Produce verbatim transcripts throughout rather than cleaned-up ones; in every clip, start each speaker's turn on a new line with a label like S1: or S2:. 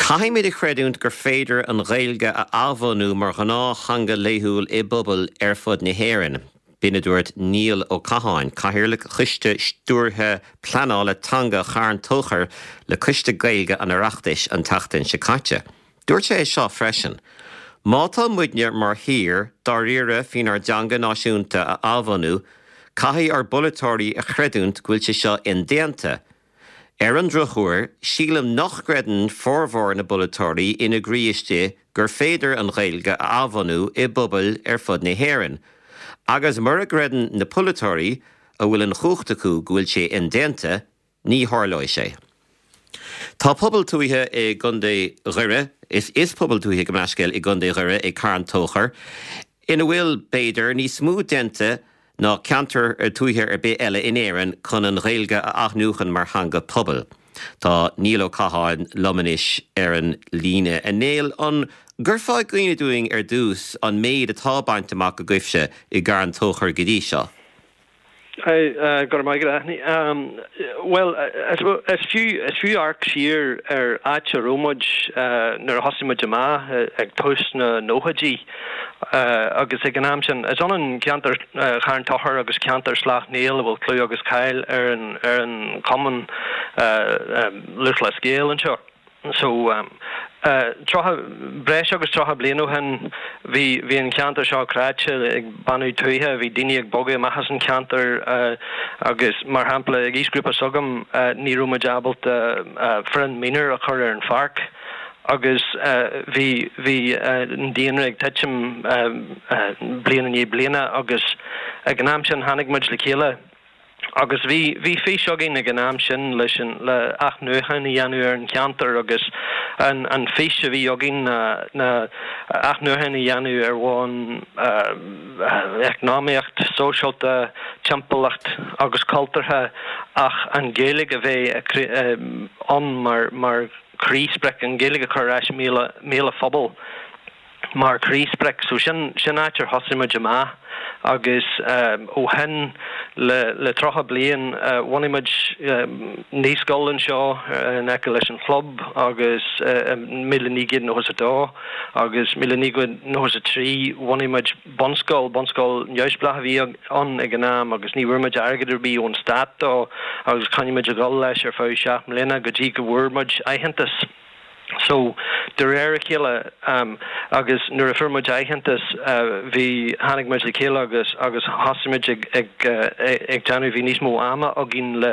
S1: Caithfimid a chreidiúint gur féidir an Ghaeilge a athbhunú mar ghnáth-theanga laethúil i bpobail ar fud na hÉireann. B'in a dúirt Niall Ó Catháin, Cathaoirleach Choiste Stiúrtha Pleanála Teanga Charn Tóchair le Coiste Gaeilge an Oireachtais an tseachtain seo caite. Dúirt sé seo freisin. Má tá muidne mar thír dáiríre faoinár dteanga náisiúnta a athbhunú, caithfidh ár bpolaiteoirí a chreidiúint go bhfuil sé seo indéanta. Ar an drochuair, sílim nach gcreideann formhór na bpolaiteoirí ina gcroí istigh gur féidir an Ghaeilge a athbhunú i bpobail ar fud na hÉireann. Agus mura gcreideann na polaiteoirí a bhfuil an chumhacht acu go bhfuil sé indéanta, ní tharlóidh sé. Tá pobal tuaithe i gContae Dhoire, is is pobal tuaithe go meascéil i gContae Dhoire i Carn Tóchair, ina bhfuil b'fhéidir níos mó déanta ná ceantar tuaithe ar bith eile in Éirinn chun an Ghaeilge a athnuachan mar theanga pobail. Tá Niall Ó Catháin liom anois ar an líne. A Néill an gcuirfeá i gcuimhne dúinn ar dtús an méid atá bainte amach agaibhse i gCarn Tóchair go dtí seo.
S2: Go maith Well is fiú is fiú amharc siar ar áit a raibh muid nuair a thosaigh muid amach ag tús na nóchaidí agus ag an am sin is ionann ceantar Charn Tóchair agus ceantar Sleacht Néill a bhfuil clú agus cáil ar an ar an Chumann Lúthchleas Gael anseo. So um, uh, breis agus tríocha bliain ó shin bhí bhí an ceantar seo cráite ag bánú tuaithe, bhí daoine ag bogadh amach as an ceantar uh, agus mar shampla ag aoisghrúpa s'agam uh, ní raibh muid ábalta uh, foireann mionúr a chur ar an pháirc. agus bhí bhí an daonra ag titim bliain i ndiaidh bliana agus ag an am sin tháinig muid le chéile agus bhí bhí fís againn ag an am sin leis an le athnuachan a dhéanamh ar an cheantar agus an an fís a bhí againn na na athnuachan a dhéanamh ar bhonn eacnamaíocht, sóisialta, timpeallacht agus cultúrtha ach an Ghaeilge a bheith ann mar mar chroísprioc an Ghaeilge a chur ais i mbéal an phobail mar chroísprioc so sin sin áit ar thosaigh muid amach agus um, ó shin le le tríocha bliain uh, bhunaigh muid uh, naíscoil anseo uh, in aice leis an chlub agus uh, míle naoi gcéad nócha a dó agus míle naoi gcéad nócha a trí bhunaigh muid bunscoil bunscoil neamhspleách a bhí ann ag an am agus ní bhfuair muid airgead ar bith ón stát dó agus choinnigh muid ag dul leis ar feadh seacht mbliana go dtí go bhfuair muid aitheantas. So de réir a chéile um, agus nuair a fuair muid aitheantas uh, bhí tháinig muid le chéile agus agus thosaigh muid ag ag, uh, ag déanamh bhí níos mó ama againn le,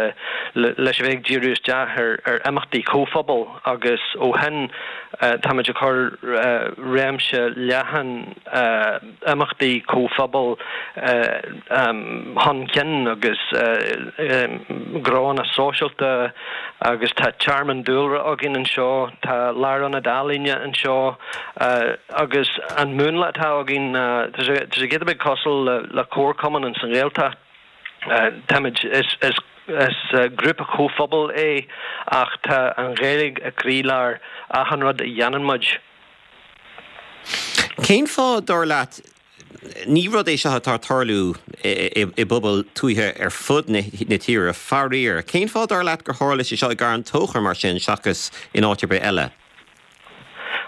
S2: le leis a bheith ag díriú isteach ar ar imeachtaí comhphobail agus ó shin uh, táimid ag cur uh, réimse leathan uh, imeachtaí comhphobail uh, um, chun cinn agus uh, um, gnónna sóisialta agus tá tearmann dúlra againn anseo tá lárionad ealaíne anseo uh, agus an múnla atá againn uh, tá sé giota beag cosúil le, le comharchumann an san Ghaeltacht uh, táimid is is is uh, grúpa comhphobail é ach tá an Ghaeilge i gcroílár achan rud a dhéanann muid.
S1: Cén fáth dar leat ní rud é seo atá ag tarlú i bpobail tuaithe ar fud na tíre faraor. Cén fáth dar leat gur tharla sé seo i gCarn Tóchair mar sin seachas in áit ar bith eile.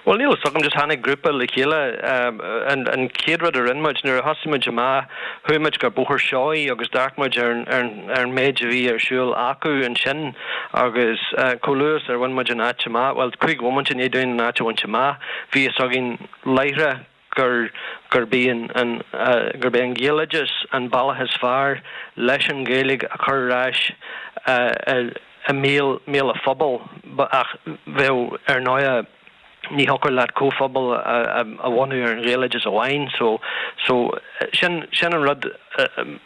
S2: Well níl so just tháinig grúpa le chéile um, an an chéad rud a rinne muid nuair a thosaigh muid amach chuaigh muid go Bóthar Seoighe agus d'amharc muid ar ar ar an méid a bhí ar siúl acu ansin agus uh, cholas ar bhain muid an áit amach, well cúig bhomaite i ndiaidh dúinn an áit a bhaint amach, bhí fhios againn láithreach gur gur b'é an an uh, gur b'é an Gaeloideachas an bealach is fearr leis an Ghaeilge a chur ar ais uh, uh, i mbéal mbéal an phobail ach bheith ar ndóigh ní thiocfadh leat comhphobal a bhunú ar an Ghaeloideachas amháin so so sin sin an rud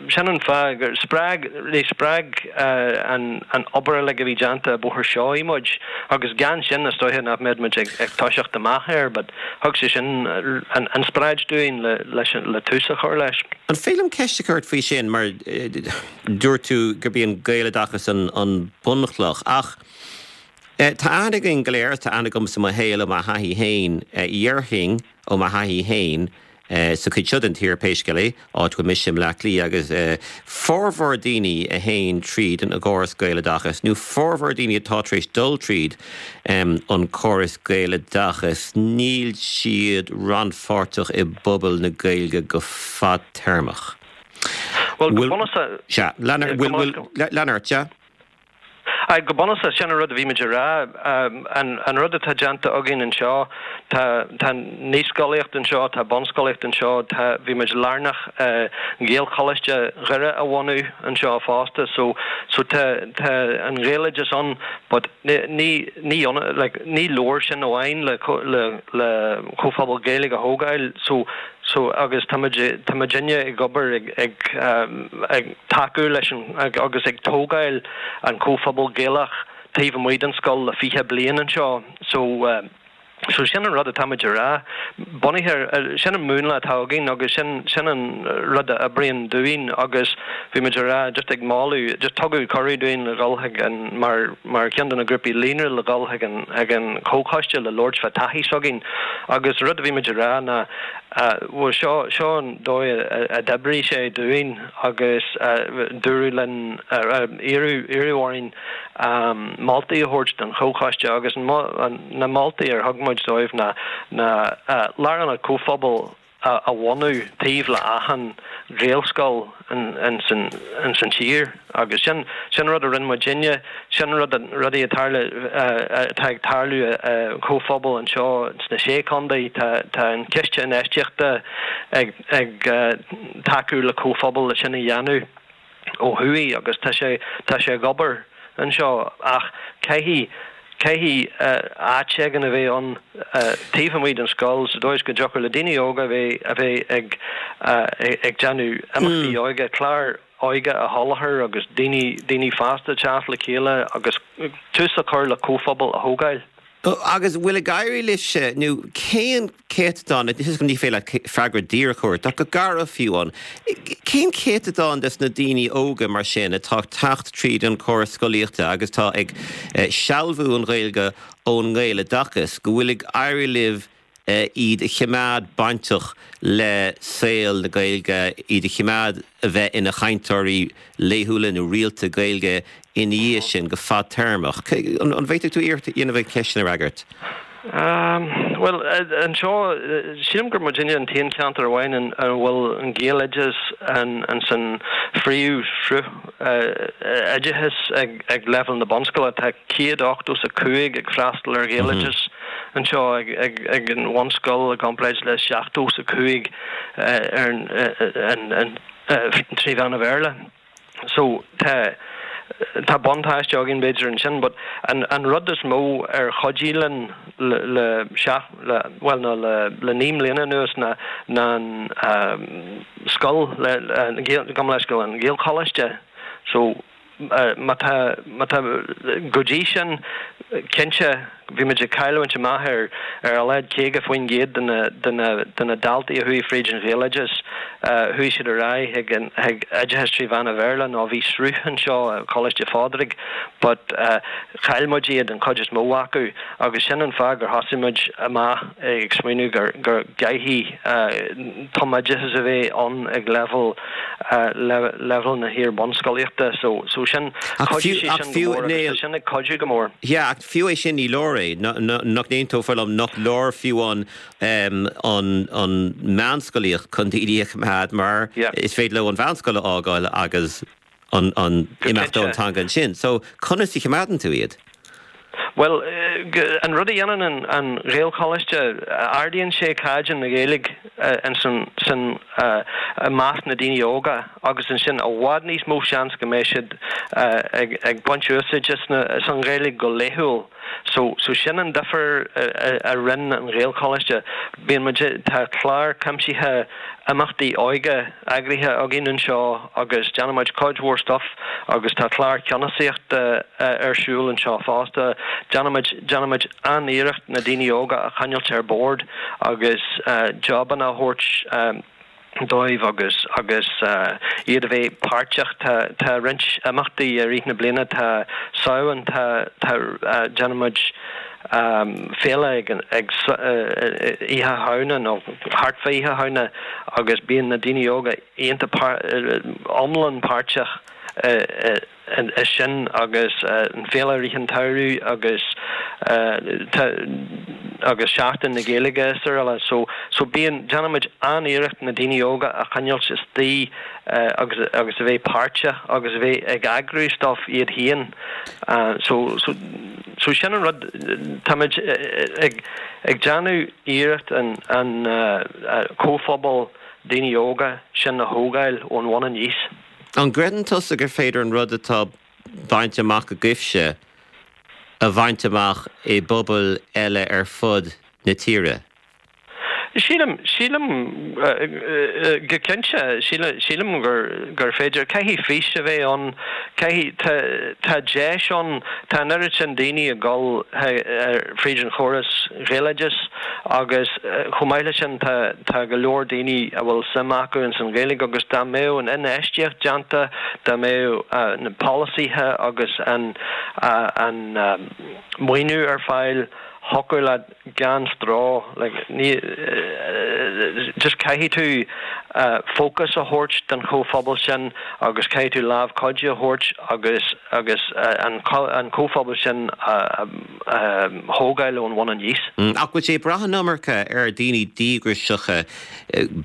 S2: sin an fáth gur spreag le spreag an an obair le go bhí déanta Bóthar Seoighe muid agus gan sin is dóiche nach mbeadh muid ag ag toiseacht amach air, but thug sé sin an an spreagadh dúinn le leis le tús a chur leis.
S1: An féidir liom ceist a chur faoi sin mar dúirt tú gurb é an Gaeloideachas an an bunchloch ach Tá aithne againn go léir tá aithne agam sa mo shaol ó mo thaithí féin déarfainn ó mo thaithí féin sa chuid seo den tír pé scéal é, áit go mise i mBleá Cliath agus formhór daoine a théann tríd an gcóras Gaeloideachas nó formhór daoine atá tar éis dul tríd an córas Gaeloideachas, níl siad rannpháirteach i bpobal na Gaeilge go fadtéarmach.
S2: Well, go bunúsach
S1: Sea, lean ort, sea.
S2: Aye, go bunúsach sin an rud a bhí muid a rá. An rud atá déanta againn anseo, tá tá naíscolaíocht anseo, tá bunscolaíocht anseo, tá bhí muid lárnach Gaelcholáiste Dhoire a bhunú anseo fosta, so so tá tá an Ghaeloideachas ann but ní ní like ní leor sin amháin le le le comhphobal Gaeilge a thógáil, so so agus tá muid tá muidinne ag obair ag ag ag tacú leis an agus ag tógáil an comhphobal Gaelach taobh amuigh den scoil le fiche bliain anseo so uh, so sin an rud atá muid a rá bunaithe sin an múnla atá againn agus sin sin an rud a oibríonn dúinn agus bhí muid a rá just ag moladh just tugadh cuireadh dúinn le dhul chuig an mar mar ceann de na grúpaí líonra le dhul chuig an ag an comhchoiste le labhairt fá taithí s'againn agus rud a bhí muid a rá ná bhuel seo seo an dóigh a d'oibrigh sé dúinn agus dúradh linn iarradh iarradh orainn moltaí a thabhairt don chomhchoiste agus na moltaí ar thug muid dóibh ná na lárionad comhphobail a bhunú taobh le achan Ghaelscoil in san tír agus sin sin rud a rinne muidinne sin rud rudaí atá atá ag tarlú comhphobal anseo sna sé chontae tá tá an ciste infheistíochta ag ag tacú le comhphobal le sin a dhéanamh ó thuaidh agus tá sé tá sé ag obair anseo ach caithfidh caithfidh áit éigin a bheith ann taobh amuigh den scoil sa dóigh go dtiocfadh le daoine óga a bheith a bheith ag ag déanamh imeachtaí óige clár óige a sholáthar agus daoine daoine fásta teacht le chéile agus tús a chur le comhphobal a thógáil.
S1: Agus bhfuil ag éirí leis nó cén céatadán ní féidir leat freagra díreach a thabhairt ach go gar fiú ann. Cén céatadán des na daoine óga mar sin atá teacht tríd an córas scolaíochta agus tá ag sealbhú an Ghaeilge ón nGaeloideachas, go bhfuil ag éirí libh iad a choimeád bainteach le saol na Gaeilge, iad a choimeád a bheith ina chainteoirí laethúla nó rialta Gaeilge ina dhiaidh sin go fadtéarmach. An bhféadfadh tú iarracht a dhéanamh an cheist sin a fhreagairt?
S2: Um, well anseo sílim gur muidinne an t-aon cheantar amháin an bhfuil an Gaeloideachas an an san phríomhshruth oideachais ag ag leibhéal na bunscoile tá céad ochtó is a cúig ag freastal ar Ghaeloideachas anseo ag ag ag an bhunscoil i gcomparáid le seachtó is a cúig ar an an trí mheán an Bhéarla. So tá tá buntáiste againn b'fhéidir ansin, but an an rud is mó ar chuidigh linn le le seach le well ná le le naoi mbliana anuas ná ná an um, scoil le gom leis go an Gaelcholáiste. So má tá má tá go dtí sin cinnte bhí muid ag cailliúint amach ar ar a laghad caoga faoin gcéad de na de na de na daltaí a chuaigh fríd an Ghaeloideachas chuaigh siad ar aghaidh ag an ag oideachas trí mheán an Bhéarla nó bhí sruth anseo Coláiste Phádraig but uh, chaill muid iad an chuid is mó acu agus sin an fáth gur thosaigh muid amach ag smaoineamh gur gur gcaithfidh uh, tumoideachas a bheith ann ag level uh, level na hiar-bhunscolaíochta so so sin sin ag cuidiú go mór.
S1: Ja, ach fiú é sin ní leor é nach n-aontófá liom nach leor fiú an an an meánscolaíocht chun daoine a choimeád mar is féidir leo an mheánscoil a fhágáil agus an an imeacht ón teanga sin. So conas a choimeádann tú iad?
S2: Well an rud a dhéanann an an Ghaelcholáiste ardaíonn sé caighdeán na Gaeilge an san san i measc na daoine óga agus ansin i bhfad níos mó seans go mbeidh siad ag ag baint úsáid as an Ghaeilge go laethúil. So so sin an difear a rinne an Ghaelcholáiste. Bíonn muid tá clár cuimsithe imeachtaí óige eagraithe againn anseo agus déanaimid cuid mhór stuff agus tá clár ceannasaíochta ar siúl anseo fosta. Déanaimid déanaimid an-iarracht na daoine óga a choinneáil ar bord agus uh, jobanna a thabhairt um, dóibh agus agus uh, iad a bheith páirteach tá tá roinnt imeachtaí i rith na bliana tá Samhain tá tá uh, déanaimid féile ag ag Oíche Shamhna nó thart fá Oíche Shamhna agus bíonn na daoine óga iontach iomlán páirteach i sin agus an féile rith an tsamhraidh agus agus Seachtain na Gaeilge is araile. So so bíonn déanaimid an-iarracht na daoine óga a choinneáil istigh agus agus a bheith páirteach agus a bheith ag eagrú stuff iad féin. So so so sin an rud táimid ag ag déanamh iarracht an an comhphobal daoine óga sin a thógáil ón bhun aníos.
S1: An gcreideann tusa gur féidir an rud atá bainte amach agaibhse a bhaint amach i bpobail eile ar fud na tíre?
S2: Sílim sílim go cinnte sílim gur gur féidir caithfidh fís a bheith ann caithfidh tá deis ann tá an oiread sin daoine ag dul fríd an chóras Gaeloideachais agus chomh maith leis sin tá tá go leor daoine a bhfuil suim acu in san Ghaeilge agus dá mbeadh an infheistíocht déanta dá mbeadh na polasaithe agus an an maoiniú ar fáil thiocfadh leat gan stró like ní just caithfidh tú fócas a thabhairt don chomhphobal sin agus caithfidh tú lámh chuidiú a thabhairt agus agus an an comhphobal sin a thógáil ón bhun aníos.
S1: Ach bhfuil sé ag brath an iomarca ar daoine díograiseacha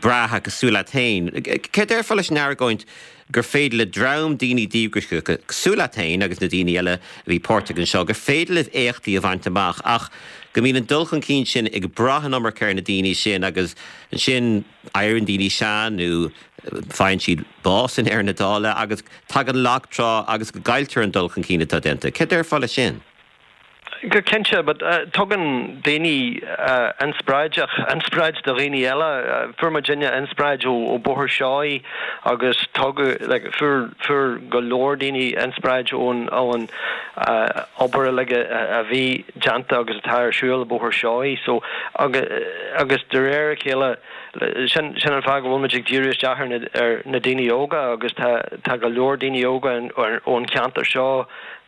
S1: breátha cosúil leat féin. Cé déarfá leis an argóint gur féidir le dream daoine díograiseacha cosúil leat féin agus na daoine eile a bhí páirteach anseo, gur féidir libh éachtaí a bhaint amach ach go mbíonn an dul chun cinn sin ag brath an iomarca ar na daoine sin agus ansin éiríonn daoine sean nó faigheann siad bás in ndeireadh na dála agus tagann lag trá agus go gcailltear an dul chun cinn atá déanta. Cé déarfá leis sin?
S2: Go cinnte, but uh, tugann daoine uh, inspioráideach inspioráid do dhaoine eile uh, fuair muidinne inspioráid ó, ó Bóthar Seoighe agus tugadh like, fuair fuair go leor daoine inspioráid ón ón uh, obair like, a, a bhí déanta agus atá ar siúl Bóthar Seoighe so agus, agus de réir a chéile sin sin an fáth go bhfuil muid ag díriú isteach ar na, ar na daoine óga agus tá tá go leor daoine óga ón cheantar seo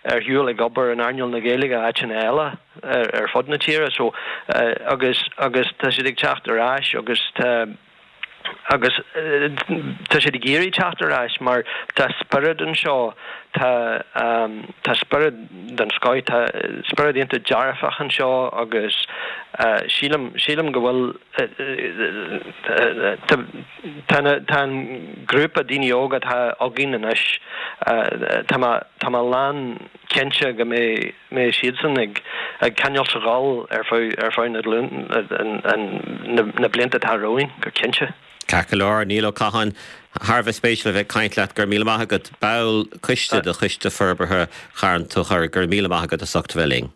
S2: ar shiúl ag obair in earnáil na Gaeilge áiteanna eile ar, ar fud na tíre so uh, agus agus tá siad ag teacht ar ais agus tá agus uh, tá siad ag iarraidh teacht ar ais mar tá spiorad anseo tá um, tá spiorad den scoth tá spiorad iontach dearfach anseo agus uh, sílim sílim go bhfuil tá tá an grúpa daoine óga atá againn anois tá tá mé lán cinnte go mbeidh mbeidh siadsan ag ag coinneáil ag dul ar feadh ar feadh na na blianta atá romhainn go cinnte.
S1: Ceart go leor Niall Ó Catháin thar a bheith spéisiúil a bheith caint leat go raibh míle maith agat ball coiste de Choiste Forbartha Charn Tóchair go raibh míle maith agat as ucht bheith linn.